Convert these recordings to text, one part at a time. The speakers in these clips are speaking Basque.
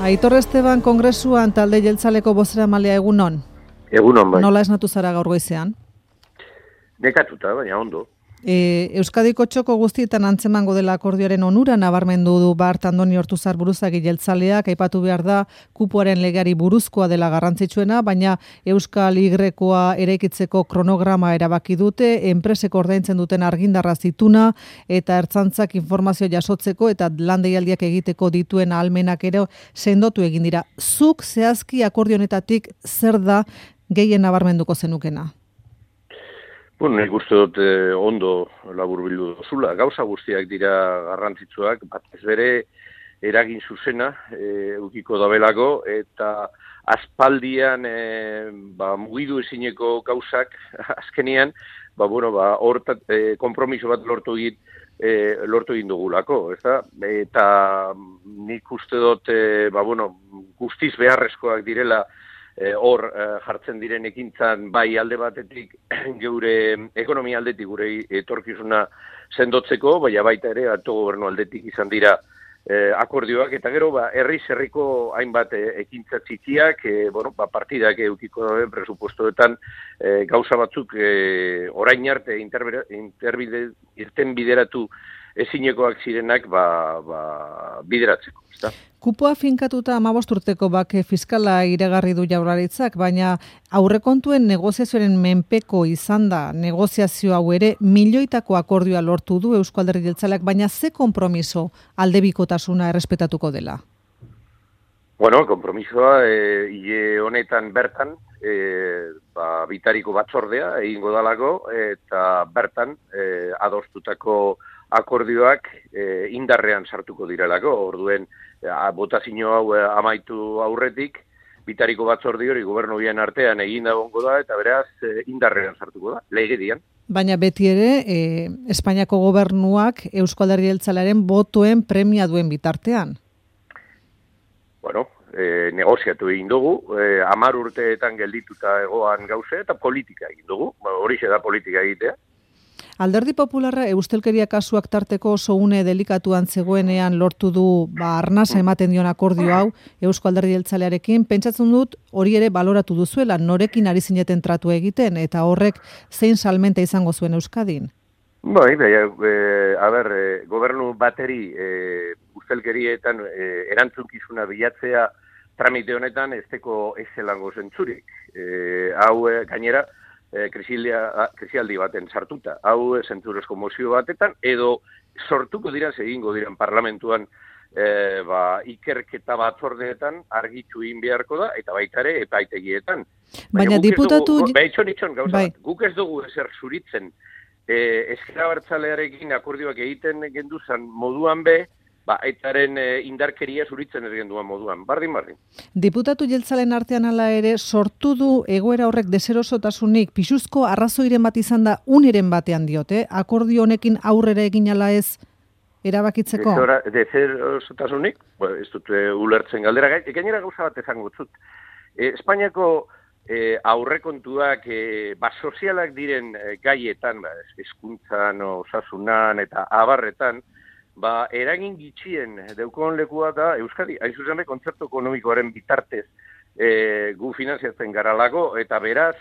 Aitor Esteban kongresuan talde jeltzaleko bozeramalea egunon. Egunon bai. Nola esnatu zara gaur goizean? Nekatuta, baina ondo. Euskadiko txoko guztietan antzemango dela akordioaren onura nabarmendu du Bart Andoni Ortuzar buruzagi jeltzaleak, aipatu behar da kupoaren legeari buruzkoa dela garrantzitsuena, baina Euskal Y-koa eraikitzeko kronograma erabaki dute, enpresek ordaintzen duten argindarra zituna eta ertzaintzak informazio jasotzeko eta lan deialdiak egiteko dituen ahalmenak ere sendotu egin dira. Zuk zehazki akordio honetatik zer da gehien nabarmenduko zenukena? Bueno, nik uste dut ondo laburbildu duzula. Gauza guztiak dira garrantzitsuak, batez bere eragin zuzena edukiko dabelako, eta aspaldian mugidu ezineko gauzak azkenean, konpromiso bat lortu egin dugulako, ezta? Eta nik uste dut guztiz beharrezkoak direla hor jartzen diren ekintzan bai alde batetik geure ekonomia aldetik gure etorkizuna sendotzeko, baita ere autogobernu aldetik izan dira akordioak, eta gero herriko hainbat ekintza txikiak, partidak edukiko dauden presupuestoetan gauza batzuk orain arte irten bideratu ezinekoak zirenak bideratzeko. Kupoa finkatuta 15 urteko bake fiskala iragarri du Jaurlaritzak, baina aurrekontuen negoziazioaren menpeko izan da negoziazio hau ere milioitako akordioa lortu du Euzko Alderdi Jeltzaleak, baina ze konpromiso aldebikotasuna errespetatuko dela? Bueno, konpromisoa hile honetan bertan bitariko batzordea egingo dalako eta bertan adostutako akordioak indarrean sartuko direlako. Orduen botazio hau amaitu aurretik, bitariko batzorde hori gobernu bien artean egin dagongo da, eta beraz indarrean sartuko da, legedian. Baina beti ere, Espainiako gobernuak Euzko Alderdi Jeltzalearen botoen premia duen bitartean. Bueno, negoziatu egin dugu, 10 urteetan geldituta egoan gauze, eta politika egin dugu, horixe da politika egitea. Alderdi Popularra eustelkeria kasuak tarteko oso une delikatuan zegoenean lortu du arnasa ematen dion akordio hau Eusko Alderdi Jeltzalearekin. Pentsatzen dut hori ere baloratu duzuela, norekin ari zineten tratu egiten eta horrek zein salmenta izango zuen Euskadin? Gobernu bateri ustelkerietan erantzunkizuna bilatzea tramite honetan ez teko ezelango zentzurik. Hau gainera, krisialdi baten sartuta. Hau zentzurezko mozio batetan, edo sortuko dira, egingo diren parlamentuan ikerketa batzordeetan argitu egin beharko da, eta baita ere epaitegietan. Baina diputatu... Guk ez dugu ezer zuritzen. Ezker Abertzalearekin akordioak egiten genduzan moduan etaren indarkeria zuritzen ez genduan moduan. Bardin. Diputatu jeltzalen artean hala ere sortu du egoera horrek deserosotasunik, pisuzko arrazoiren bat izan da uniren batean diote, akordio honekin aurrera egin ala ez erabakitzeko? Deserosotasunik? Ez dut ulertzen galdera. Gainera gauza bat ezango zut. Espainiako aurrekontuak sozialak diren gaietan, hezkuntzan, osasunan eta abarretan, eragin gitxien deukon lekua da Euskadi, hain zuzen kontzertu ekonomikoaren bitartez gu finanziatzen garalako, eta beraz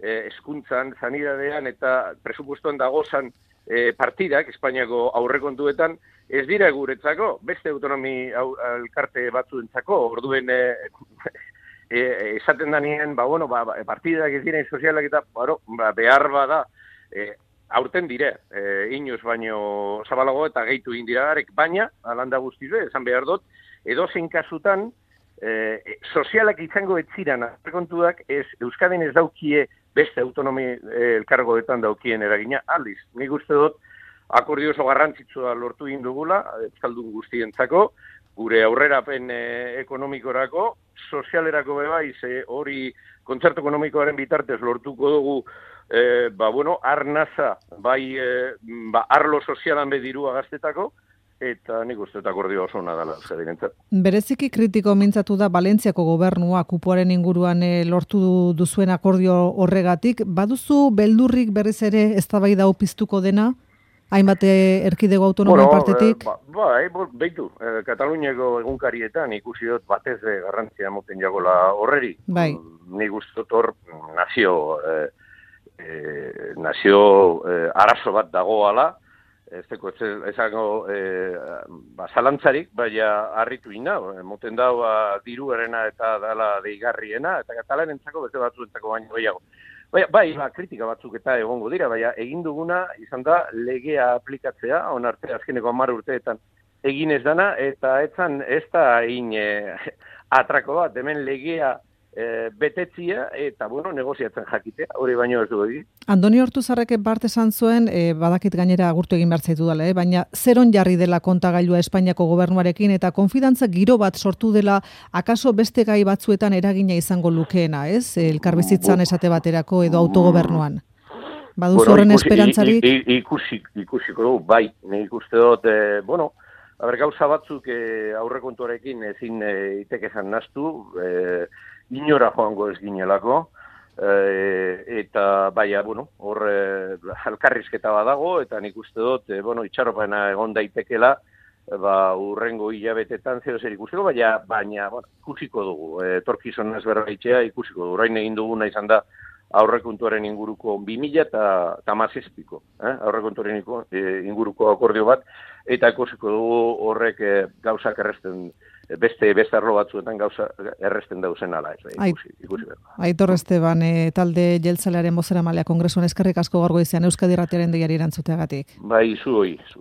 hezkuntzan, sanidadean eta presupuestoan dagozan partidak, Espainiako aurrekontuetan, ez dira guretzako, beste autonomi elkarte batzuentzako, orduen esaten danien, partidak ez diren sozialak eta behar bada, aurten dire, inoz baino zabalago eta gehitu egin dira garek, baina, alanda guztizue, esan behar dut, edozein kasutan, sozialak izango etziran aurrekontuak Euskadin ez daukie beste autonomi elkargoetan daukien eragina, aldiz. Nik uste dut, akordio oso garrantzitsua lortu egin dugula, euskaldun guztientzako, gure aurrerapen ekonomikorako, sozialerako bebaiz, hori kontzertu ekonomikoaren bitartez lortuko dugu arnasa, arlo sozialan dirua gaztetako, eta nik uste akordio oso nadala Euskadirentzat. Bereziki kritiko mintzatu da Valentziako gobernua kupoaren inguruan lortu duzuen akordio horregatik. Baduzu beldurrik berriz ere eztabaida hau piztuko dena? hainbat erkidego autonomoen partetik? Beitu, Kataluniako egunkarietan ikusi dut batez garrantzia moten jagola horreri. Bai. Nik uste dut hor nazio arazo bat dagoala, ezango zalantzarik, baina harritu ina, moten dau diruarena eta dala deigarriena, eta katalanentzako beste batzuentzako baino gehiago. Bai, kritika batzuk eta egongo dira, baina egin duguna izan da legea aplikatzea, onarte azkeneko 10 urteetan egin ez dana, eta ez da egin atrako bat, hemen legea betetzia eta, negoziatzen jakitea, hori baino ez du egin. Andoni Ortuzarrek bart esan zuen, badakit gainera agurtu egin behar zaitu dela, baina zeron jarri dela kontagailua Espainiako gobernuarekin eta konfidantza giro bat sortu dela akaso beste gai batzuetan eragina izango lukeena, ez? Elkarbizitzan esate baterako edo autogobernuan. Baduzu horren esperantzarik? Ikusiko dugu, bai, nik uste dut, gauza batzuk aurrekontuarekin ezin itekezan naztu, inora joango ez ginelako, eta hor alkarrizketa badago, eta nik uste dut, itxaropena egon daitekela, urrengo hilabetetan zeo zer ikusiko, baina ikusiko dugu, etorkizunaz berbaitzea ikusiko dugu, orain egin duguna izan da aurrekontuaren inguruko 2017ko, aurrekontuaren inguruko akordio bat, eta ikusiko dugu horrek gauzak erresten, beste arlo batzuetan gauza erresten dauzen ala, ikusi behar. Aitor Esteban, talde jeltzalearen bozeramalea Kongresuan eskerrik asko gaur goizean Euskadi Irratiaren deiari erantzuteagatik. Bai, zu.